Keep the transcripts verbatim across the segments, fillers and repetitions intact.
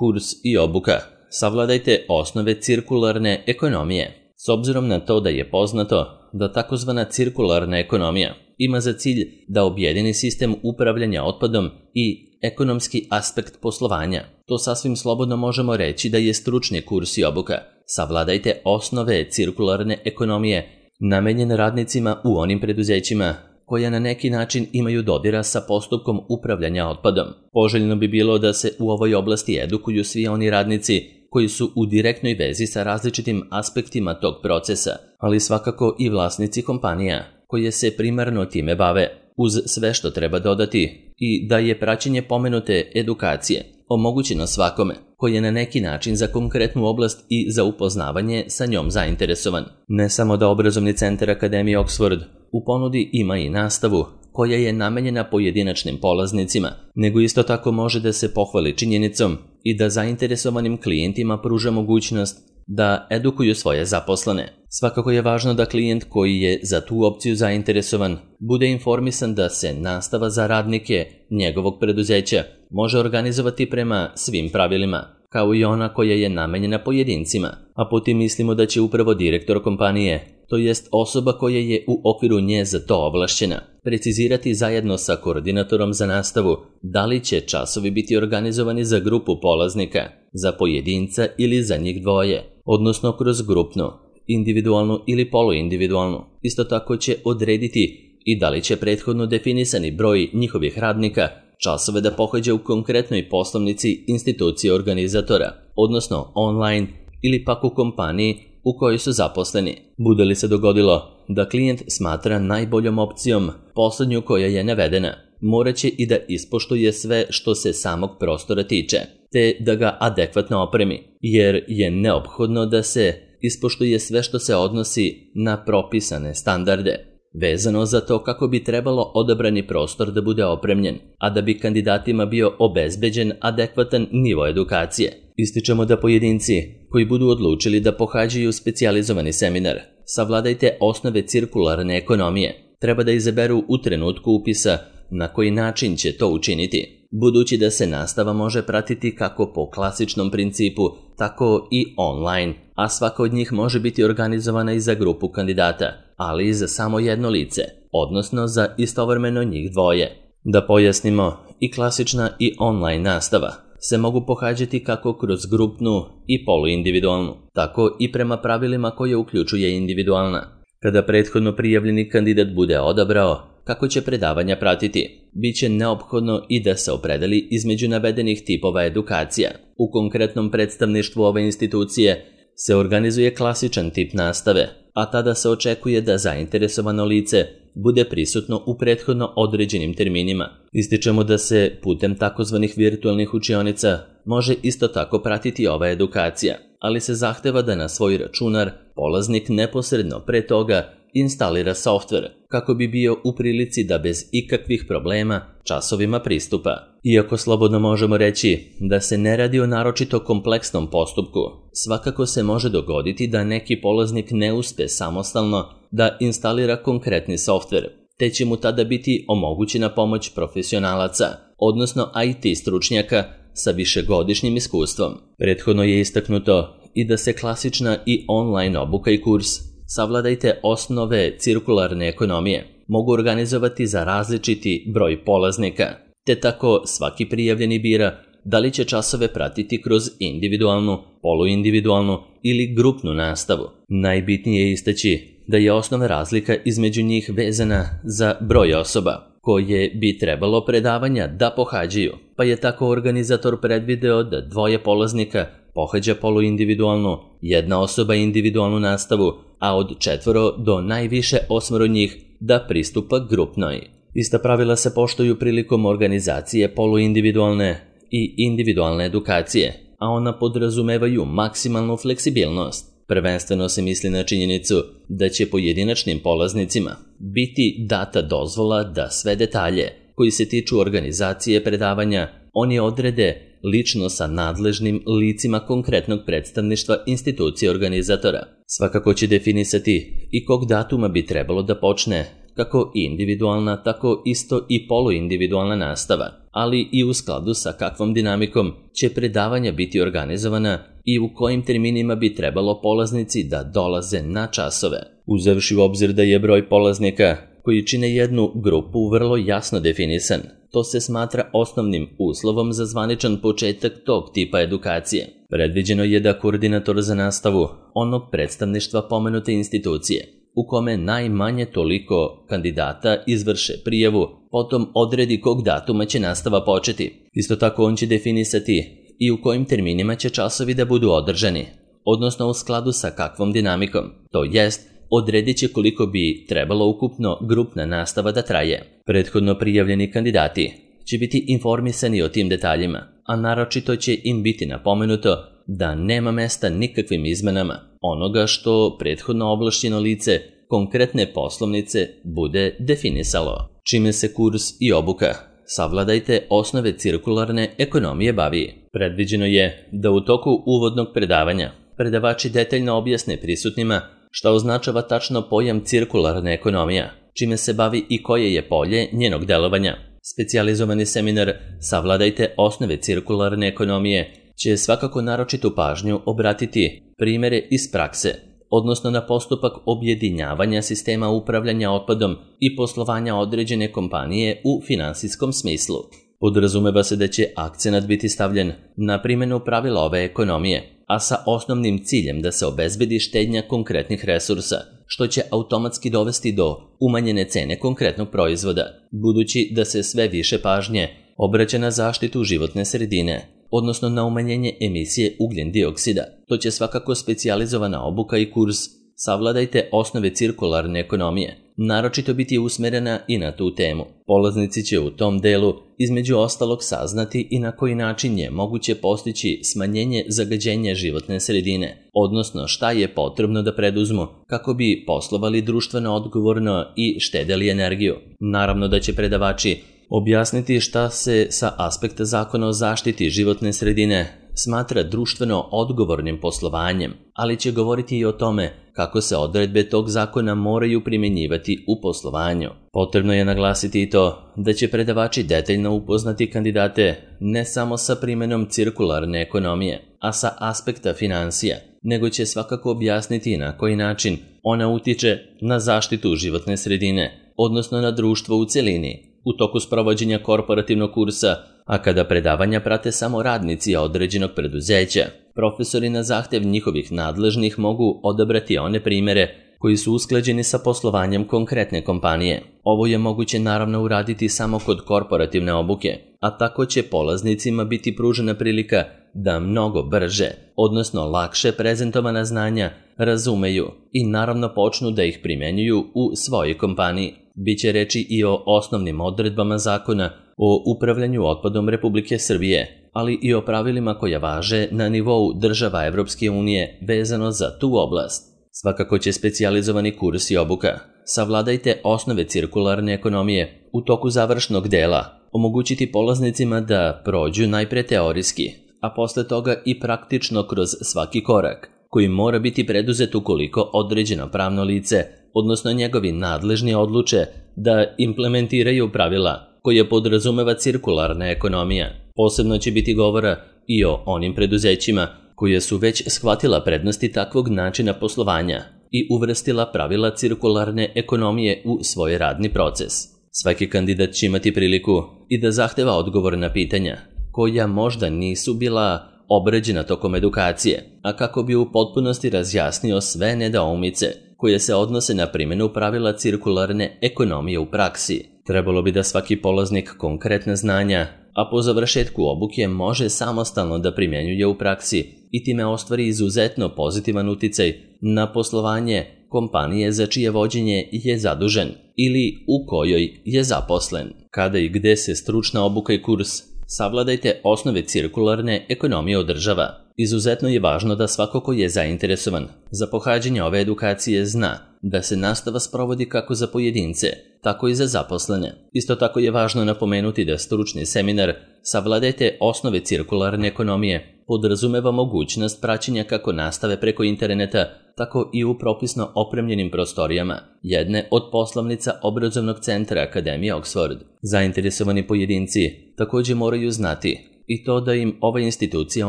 Kurs i obuka. Savladajte osnove cirkularne ekonomije. S obzirom na to da je poznato da takozvana cirkularna ekonomija ima za cilj da objedini sistem upravljanja otpadom i ekonomski aspekt poslovanja, to sasvim slobodno možemo reći da je stručni kurs i obuka. Savladajte osnove cirkularne ekonomije namenjen radnicima u onim preduzećima koja na neki način imaju dodira sa postupkom upravljanja otpadom. Poželjno bi bilo da se u ovoj oblasti edukuju svi oni radnici koji su u direktnoj vezi sa različitim aspektima tog procesa, ali svakako i vlasnici kompanija koje se primarno time bave, uz sve što treba dodati i da je praćenje pomenute edukacije omogućeno svakome koji je na neki način za konkretnu oblast i za upoznavanje sa njom zainteresovan. Ne samo da obrazovni centar Akademije Oxford u ponudi ima i nastavu koja je namenjena pojedinačnim polaznicima, nego isto tako može da se pohvali činjenicom i da zainteresovanim klijentima pruža mogućnost da edukuju svoje zaposlene. Svakako je važno da klijent koji je za tu opciju zainteresovan bude informisan da se nastava za radnike njegovog preduzeća može organizovati prema svim pravilima, kao i ona koja je namenjena pojedincima, a po tim mislimo da će upravo direktor kompanije, to jest osoba koja je u okviru nje za to ovlašćena, precizirati zajedno sa koordinatorom za nastavu da li će časovi biti organizovani za grupu polaznika, za pojedinca ili za njih dvoje, odnosno kroz grupnu, individualnu ili poluindividualnu. Isto tako će odrediti i da li će prethodno definisani broj njihovih radnika časove da pohađa u konkretnoj poslovnici institucije organizatora, odnosno online ili pak u kompaniji u kojoj su zaposleni. Bude li se dogodilo da klijent smatra najboljom opcijom poslednju koja je navedena, moraće i da ispoštuje sve što se samog prostora tiče, te da ga adekvatno opremi, jer je neophodno da se ispoštuje sve što se odnosi na propisane standarde, vezano za to kako bi trebalo odabrani prostor da bude opremljen, a da bi kandidatima bio obezbeđen adekvatan nivo edukacije. Ističemo da pojedinci koji budu odlučili da pohađaju specijalizovani seminar Savladajte osnove cirkularne ekonomije treba da izaberu u trenutku upisa na koji način će to učiniti, budući da se nastava može pratiti kako po klasičnom principu, tako i online, a svaka od njih može biti organizovana i za grupu kandidata, ali i za samo jedno lice, odnosno za istovremeno njih dvoje. Da pojasnimo, i klasična i online nastava se mogu pohađati kako kroz grupnu i poluindividualnu, tako i prema pravilima koje uključuje individualna. Kada prethodno prijavljeni kandidat bude odabrao kako će predavanja pratiti, bit će neophodno i da se opredeli između navedenih tipova edukacija. U konkretnom predstavništvu ove institucije se organizuje klasičan tip nastave, a tada se očekuje da zainteresovano lice bude prisutno u prethodno određenim terminima. Ističemo da se putem takozvanih virtualnih učionica može isto tako pratiti ova edukacija, ali se zahteva da na svoj računar polaznik neposredno pre toga instalira softver kako bi bio u prilici da bez ikakvih problema časovima pristupa. Iako slobodno možemo reći da se ne radi o naročito kompleksnom postupku, svakako se može dogoditi da neki polaznik ne uspe samostalno da instalira konkretni softver, te će mu tada biti omogućena pomoć profesionalaca, odnosno I T stručnjaka sa višegodišnjim iskustvom. Prethodno je istaknuto i da se klasična i online obuka i kurs Savladajte osnove cirkularne ekonomije mogu organizovati za različiti broj polaznika, te tako svaki prijavljeni bira da li će časove pratiti kroz individualnu, poluindividualnu ili grupnu nastavu. Najbitnije je istaći da je osnovna razlika između njih vezana za broj osoba koje bi trebalo predavanja da pohađaju, pa je tako organizator predvideo da dvoje polaznika pohađa poluindividualnu, jedna osoba individualnu nastavu, a od četvoro do najviše osmoro njih da pristupa grupnoj. Ista pravila se poštuju prilikom organizacije poluindividualne i individualne edukacije, a ona podrazumevaju maksimalnu fleksibilnost. Prvenstveno se misli na činjenicu da će pojedinačnim polaznicima biti data dozvola da sve detalje koji se tiču organizacije predavanja oni odrede lično sa nadležnim licima konkretnog predstavništva institucije organizatora. Svakako će definisati i kog datuma bi trebalo da počne kako individualna, tako isto i poluindividualna nastava. ali i u skladu sa kakvom dinamikom će predavanja biti organizovana i u kojim terminima bi trebalo polaznici da dolaze na časove. Uzevši u obzir da je broj polaznika koji čine jednu grupu vrlo jasno definisan, to se smatra osnovnim uslovom za zvaničan početak tog tipa edukacije. Predviđeno je da koordinator za nastavu onog predstavništva pomenute institucije, u kome najmanje toliko kandidata izvrše prijavu, potom odredi kog datuma će nastava početi. Isto tako on će definisati i u kojim terminima će časovi da budu održani, odnosno u skladu sa kakvom dinamikom, to jest odredit će koliko bi trebalo ukupno grupna nastava da traje. Prethodno prijavljeni kandidati će biti informisani o tim detaljima, a naročito će im biti napomenuto da nema mesta nikakvim izmenama onoga što prethodno ovlašćeno lice konkretne poslovnice bude definisalo. Čime se kurs i obuka Savladajte osnove cirkularne ekonomije bavi. Predviđeno je da u toku uvodnog predavanja predavači detaljno objasne prisutnima šta označava tačno pojam cirkularna ekonomija, čime se bavi i koje je polje njenog delovanja. Specijalizovani seminar Savladajte osnove cirkularne ekonomije će svakako naročitu pažnju obratiti primjere iz prakse, odnosno na postupak objedinjavanja sistema upravljanja otpadom i poslovanja određene kompanije u finansijskom smislu. Podrazumeva se da će akcenat biti stavljen na primjenu pravila ove ekonomije, a sa osnovnim ciljem da se obezbedi štednja konkretnih resursa, što će automatski dovesti do umanjene cene konkretnog proizvoda, budući da se sve više pažnje obraća na zaštitu životne sredine, odnosno na umanjenje emisije ugljen dioksida. To će svakako specijalizovana obuka i kurs Savladajte osnove cirkularne ekonomije naročito biti usmerena i na tu temu. Polaznici će u tom delu između ostalog saznati i na koji način je moguće postići smanjenje zagađenja životne sredine, odnosno šta je potrebno da preduzmu kako bi poslovali društveno odgovorno i štedeli energiju. Naravno da će predavači objasniti šta se sa aspekta zakona o zaštiti životne sredine smatra društveno odgovornim poslovanjem, ali će govoriti i o tome kako se odredbe tog zakona moraju primjenjivati u poslovanju. Potrebno je naglasiti i to da će predavači detaljno upoznati kandidate ne samo sa primjenom cirkularne ekonomije, a sa aspekta financija, nego će svakako objasniti na koji način ona utiče na zaštitu životne sredine, odnosno na društvo u celini, u toku sprovođenja korporativnog kursa, a kada predavanja prate samo radnici određenog preduzeća, profesori na zahtev njihovih nadležnih mogu odabrati one primjere koji su usklađeni sa poslovanjem konkretne kompanije. Ovo je moguće naravno uraditi samo kod korporativne obuke, a tako će polaznicima biti pružena prilika da mnogo brže, odnosno lakše prezentovana znanja razumeju i naravno počnu da ih primjenjuju u svojoj kompaniji. Biće reči i o osnovnim odredbama zakona o upravljanju otpadom Republike Srbije, ali i o pravilima koja važe na nivou država Evropske unije vezano za tu oblast. Svakako će specijalizovani kurs i obuka Savladajte osnove cirkularne ekonomije u toku završnog dela omogućiti polaznicima da prođu najpre teorijski, a posle toga i praktično kroz svaki korak, koji mora biti preduzet ukoliko određeno pravno lice, odnosno njegovi nadležni odluče da implementiraju pravila koje podrazumeva cirkularna ekonomija. Posebno će biti govora i o onim preduzećima koje su već shvatila prednosti takvog načina poslovanja i uvrstila pravila cirkularne ekonomije u svoj radni proces. Svaki kandidat će imati priliku i da zahteva odgovor na pitanja koja možda nisu bila obrađena tokom edukacije, a kako bi u potpunosti razjasnio sve nedoumice koje se odnose na primjenu pravila cirkularne ekonomije u praksi. Trebalo bi da svaki polaznik konkretna znanja, a po završetku obuke može samostalno da primjenjuje u praksi i time ostvari izuzetno pozitivan uticaj na poslovanje kompanije za čije vođenje je zadužen ili u kojoj je zaposlen. Kada i gde se stručna obuka i kurs Savladajte osnove cirkularne ekonomije održava. Izuzetno je važno da svako ko je zainteresovan za pohađanje ove edukacije zna da se nastava sprovodi kako za pojedince, tako i za zaposlene. Isto tako je važno napomenuti da stručni seminar Savladajte osnove cirkularne ekonomije podrazumeva mogućnost praćenja kako nastave preko interneta, tako i u propisno opremljenim prostorijama jedne od poslovnica obrazovnog centra Akademije Oxford. Zainteresovani pojedinci također moraju znati i to da im ova institucija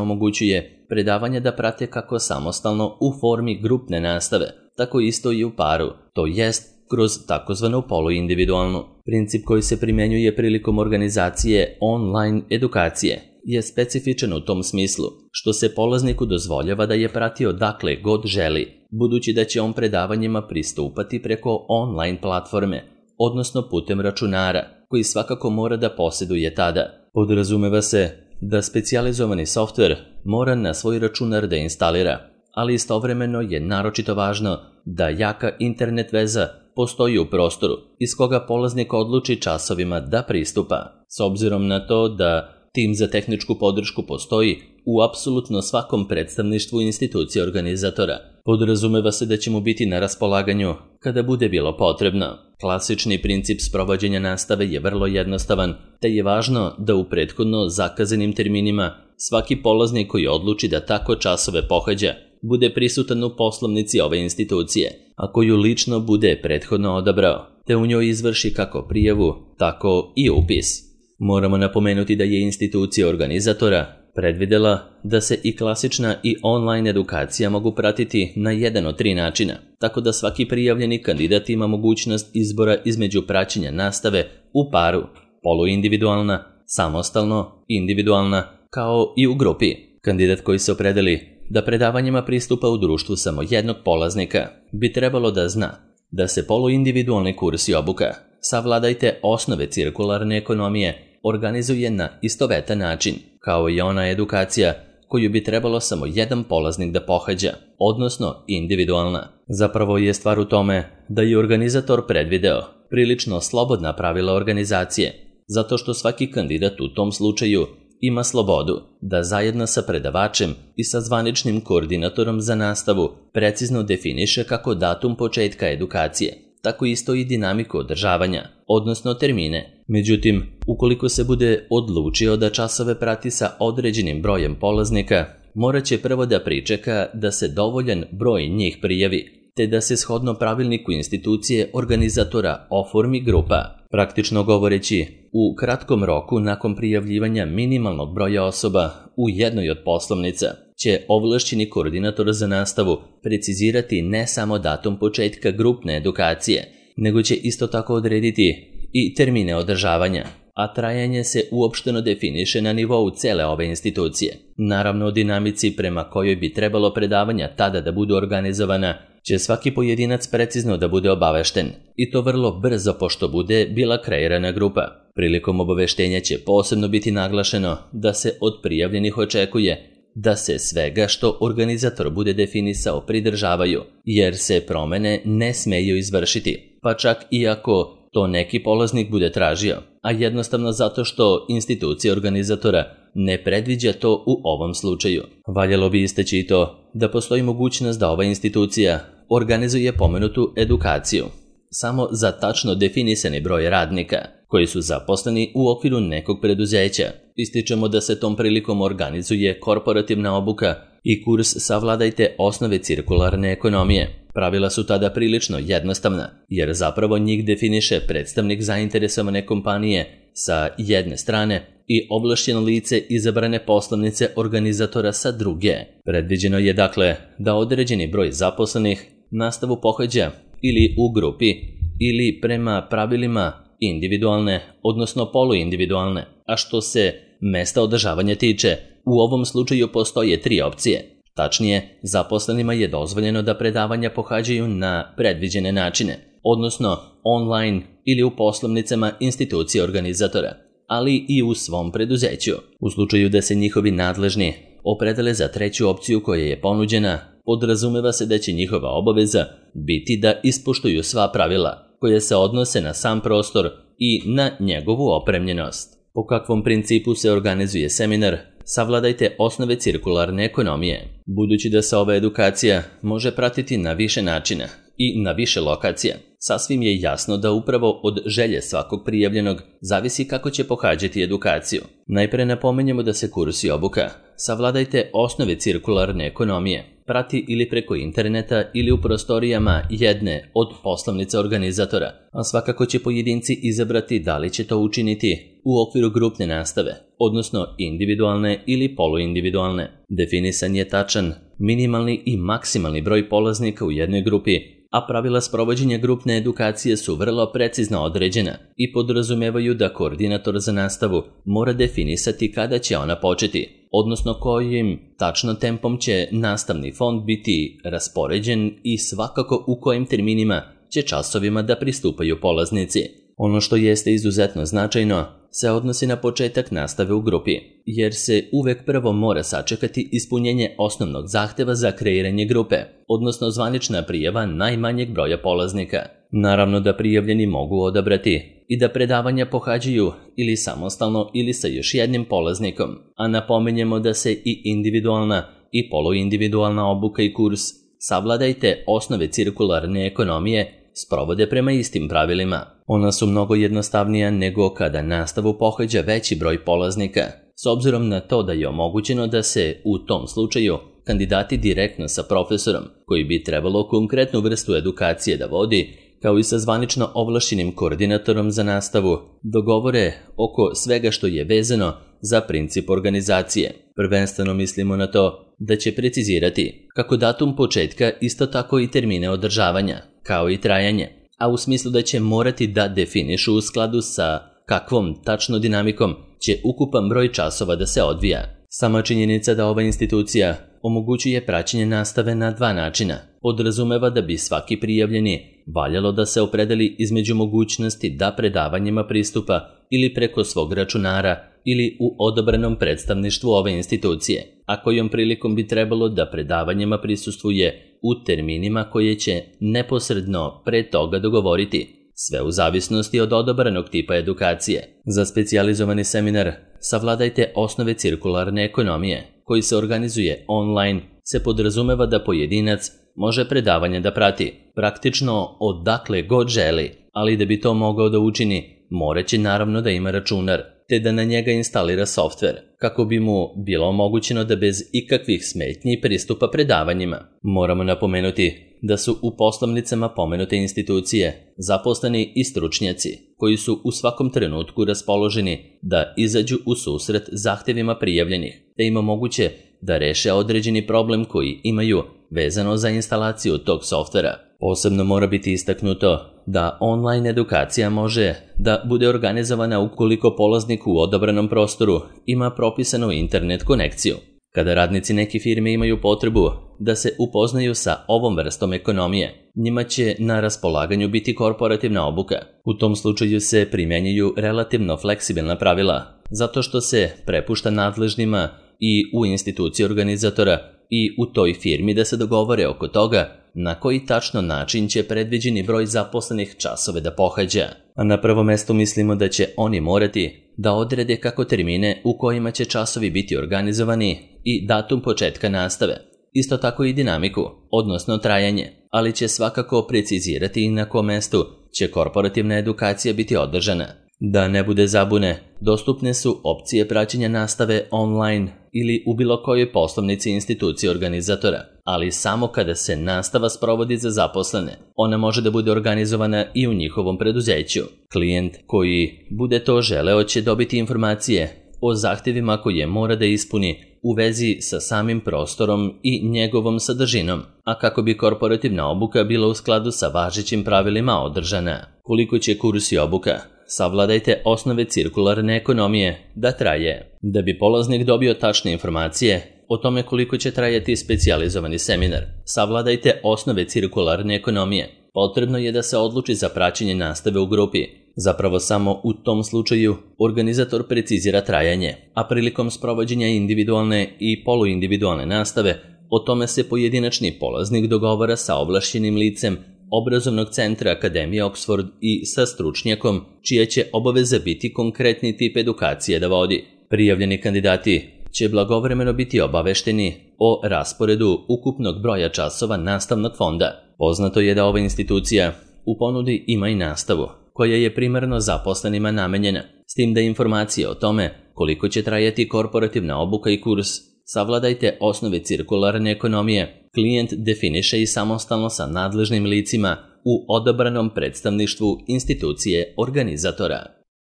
omogućuje predavanja da prate kako samostalno u formi grupne nastave, tako isto i u paru, to jest kroz takozvanu poluindividualnu. Princip koji se primjenjuje prilikom organizacije online edukacije je specifičan u tom smislu, što se polazniku dozvoljava da je pratio dakle god želi, budući da će on predavanjima pristupati preko online platforme, odnosno putem računara, koji svakako mora da posjeduje tada. Podrazumeva se da specijalizovani softver mora na svoj računar da instalira, ali istovremeno je naročito važno da jaka internet veza postoji u prostoru iz koga polaznik odluči časovima da pristupa, s obzirom na to da tim za tehničku podršku postoji u apsolutno svakom predstavništvu institucije organizatora. Podrazumeva se da će mu biti na raspolaganju kada bude bilo potrebno. Klasični princip sprovođenja nastave je vrlo jednostavan, te je važno da u prethodno zakazanim terminima svaki polaznik koji odluči da tako časove pohađa bude prisutan u poslovnici ove institucije, a koju lično bude prethodno odabrao, te u njoj izvrši kako prijavu, tako i upis. Moramo napomenuti da je institucija organizatora predvidela da se i klasična i online edukacija mogu pratiti na jedan od tri načina, tako da svaki prijavljeni kandidat ima mogućnost izbora između praćenja nastave u paru, poluindividualna, samostalno, individualna, kao i u grupi. Kandidat koji se opredeli da predavanjima pristupa u društvu samo jednog polaznika bi trebalo da zna da se poluindividualni kurs i obuka Savladajte osnove cirkularne ekonomije organizuje na istovetan način, kao i ona edukacija koju bi trebalo samo jedan polaznik da pohađa, odnosno individualna. Zapravo je stvar u tome da je organizator predvideo prilično slobodna pravila organizacije, zato što svaki kandidat u tom slučaju ima slobodu da zajedno sa predavačem i sa zvaničnim koordinatorom za nastavu precizno definiše kako datum početka edukacije, tako isto i dinamiku održavanja, odnosno termine. Međutim, ukoliko se bude odlučio da časove prati sa određenim brojem polaznika, morat će prvo da pričeka da se dovoljan broj njih prijavi, te da se shodno pravilniku institucije organizatora oformi grupa. Praktično govoreći, u kratkom roku nakon prijavljivanja minimalnog broja osoba u jednoj od poslovnica će ovlašćeni koordinator za nastavu precizirati ne samo datum početka grupne edukacije, nego će isto tako odrediti i termine održavanja, a trajanje se uopšteno definiše na nivou cele ove institucije. Naravno, o dinamici prema kojoj bi trebalo predavanja tada da budu organizovana će svaki pojedinac precizno da bude obavešten, i to vrlo brzo pošto bude bila kreirana grupa. Prilikom obaveštenja će posebno biti naglašeno da se od prijavljenih očekuje da se svega što organizator bude definisao pridržavaju, jer se promene ne smeju izvršiti, pa čak i ako to neki polaznik bude tražio, a jednostavno zato što institucija organizatora ne predviđa to u ovom slučaju. Valjalo bi istaći i to da postoji mogućnost da ova institucija organizuje pomenutu edukaciju samo za tačno definisani broj radnika koji su zaposleni u okviru nekog preduzeća. Ističemo da se tom prilikom organizuje korporativna obuka i kurs Savladajte osnove cirkularne ekonomije. Pravila su tada prilično jednostavna, jer zapravo njih definiše predstavnik zainteresovane kompanije sa jedne strane i ovlašćeno lice izabrane poslovnice organizatora sa druge. Predviđeno je dakle da određeni broj zaposlenih nastavu pohađa ili u grupi ili prema pravilima individualne, odnosno poluindividualne, a što se mesta održavanja tiče, u ovom slučaju postoje tri opcije. Tačnije, zaposlenima je dozvoljeno da predavanja pohađaju na predviđene načine, odnosno online ili u poslovnicama institucije organizatora, ali i u svom preduzeću. U slučaju da se njihovi nadležni opredele za treću opciju koja je ponuđena, podrazumeva se da će njihova obaveza biti da ispoštuju sva pravila koje se odnose na sam prostor i na njegovu opremljenost. Po kakvom principu se organizuje seminar Savladajte osnove cirkularne ekonomije? Budući da se ova edukacija može pratiti na više načina i na više lokacija, sasvim je jasno da upravo od želje svakog prijavljenog zavisi kako će pohađati edukaciju. Najpre napomenjemo da se kurs i obuka Savladajte osnove cirkularne ekonomije prati ili preko interneta ili u prostorijama jedne od poslovnica organizatora, a svakako će pojedinci izabrati da li će to učiniti u okviru grupne nastave, odnosno individualne ili poluindividualne. Definisan je tačan minimalni i maksimalni broj polaznika u jednoj grupi, a pravila sprovođenja grupne edukacije su vrlo precizno određena i podrazumevaju da koordinator za nastavu mora definisati kada će ona početi, odnosno kojim tačno tempom će nastavni fond biti raspoređen i svakako u kojim terminima će časovima da pristupaju polaznici. Ono što jeste izuzetno značajno se odnosi na početak nastave u grupi, jer se uvek prvo mora sačekati ispunjenje osnovnog zahteva za kreiranje grupe, odnosno zvanična prijava najmanjeg broja polaznika. Naravno da prijavljeni mogu odabrati i da predavanja pohađaju ili samostalno ili sa još jednim polaznikom, a napomenjemo da se i individualna i poluindividualna obuka i kurs Savladajte osnove cirkularne ekonomije sprovode prema istim pravilima. Ona su mnogo jednostavnija nego kada nastavu pohađa veći broj polaznika, s obzirom na to da je omogućeno da se u tom slučaju kandidati direktno sa profesorom, koji bi trebalo konkretnu vrstu edukacije da vodi, kao i sa zvanično ovlašćenim koordinatorom za nastavu, dogovore oko svega što je vezano za princip organizacije. Prvenstveno mislimo na to da će precizirati kako datum početka, isto tako i termine održavanja, kao i trajanje, a u smislu da će morati da definišu u skladu sa kakvom tačno dinamikom će ukupan broj časova da se odvija. Sama činjenica da ova institucija omogućuje praćenje nastave na dva načina podrazumeva da bi svaki prijavljeni valjalo da se opredeli između mogućnosti da predavanjima pristupa ili preko svog računara ili u odabranom predstavništvu ove institucije, a kojom prilikom bi trebalo da predavanjima prisustvuje u terminima koje će neposredno pre toga dogovoriti, sve u zavisnosti od odabranog tipa edukacije. Za specijalizovani seminar Savladajte osnove cirkularne ekonomije, koji se organizuje online, se podrazumeva da pojedinac može predavanje da prati praktično odakle god želi, ali da bi to mogao da učini, moraće naravno da ima računar, te da na njega instalira softver, kako bi mu bilo omogućeno da bez ikakvih smetnji pristupa predavanjima. Moramo napomenuti da su u poslovnicama pomenute institucije zaposleni i stručnjaci, koji su u svakom trenutku raspoloženi da izađu u susret zahtevima prijavljenih, te im omoguće da reše određeni problem koji imaju vezano za instalaciju tog softvera. Posebno mora biti istaknuto da online edukacija može da bude organizovana ukoliko polaznik u odabranom prostoru ima propisanu internet konekciju. Kada radnici neke firme imaju potrebu da se upoznaju sa ovom vrstom ekonomije, njima će na raspolaganju biti korporativna obuka. U tom slučaju se primjenjuju relativno fleksibilna pravila, zato što se prepušta nadležnima i u instituciji organizatora i u toj firmi da se dogovore oko toga na koji tačno način će predviđeni broj zaposlenih časove da pohađa. A na prvo mesto mislimo da će oni morati da odrede kako termine u kojima će časovi biti organizovani i datum početka nastave, isto tako i dinamiku, odnosno trajanje, ali će svakako precizirati i na kom mestu će korporativna edukacija biti održana. Da ne bude zabune, dostupne su opcije praćenja nastave online ili u bilo kojoj poslovnici institucije organizatora, ali samo kada se nastava sprovodi za zaposlene. Ona može da bude organizovana i u njihovom preduzeću. Klijent koji bude to želeo će dobiti informacije o zahtevima koje mora da ispuni u vezi sa samim prostorom i njegovom sadržinom, a kako bi korporativna obuka bila u skladu sa važećim pravilima održana. Koliko će kurs i obuka Savladajte osnove cirkularne ekonomije da traje? Da bi polaznik dobio tačne informacije o tome koliko će trajati specijalizovani seminar Savladajte osnove cirkularne ekonomije, potrebno je da se odluči za praćenje nastave u grupi. Zapravo samo u tom slučaju organizator precizira trajanje, a prilikom sprovođenja individualne i poluindividualne nastave o tome se pojedinačni polaznik dogovara sa ovlašćenim licem obrazovnog centra Akademije Oxford i sa stručnjakom čija će obaveza biti konkretni tip edukacije da vodi. Prijavljeni kandidati će blagovremeno biti obavešteni o rasporedu ukupnog broja časova nastavnog fonda. Poznato je da ova institucija u ponudi ima i nastavu, koja je primarno zaposlenima namenjena, s tim da informacije o tome koliko će trajati korporativna obuka i kurs Savladajte osnove cirkularne ekonomije. Klijent definiše i samostalno sa nadležnim licima u odabranom predstavništvu institucije organizatora.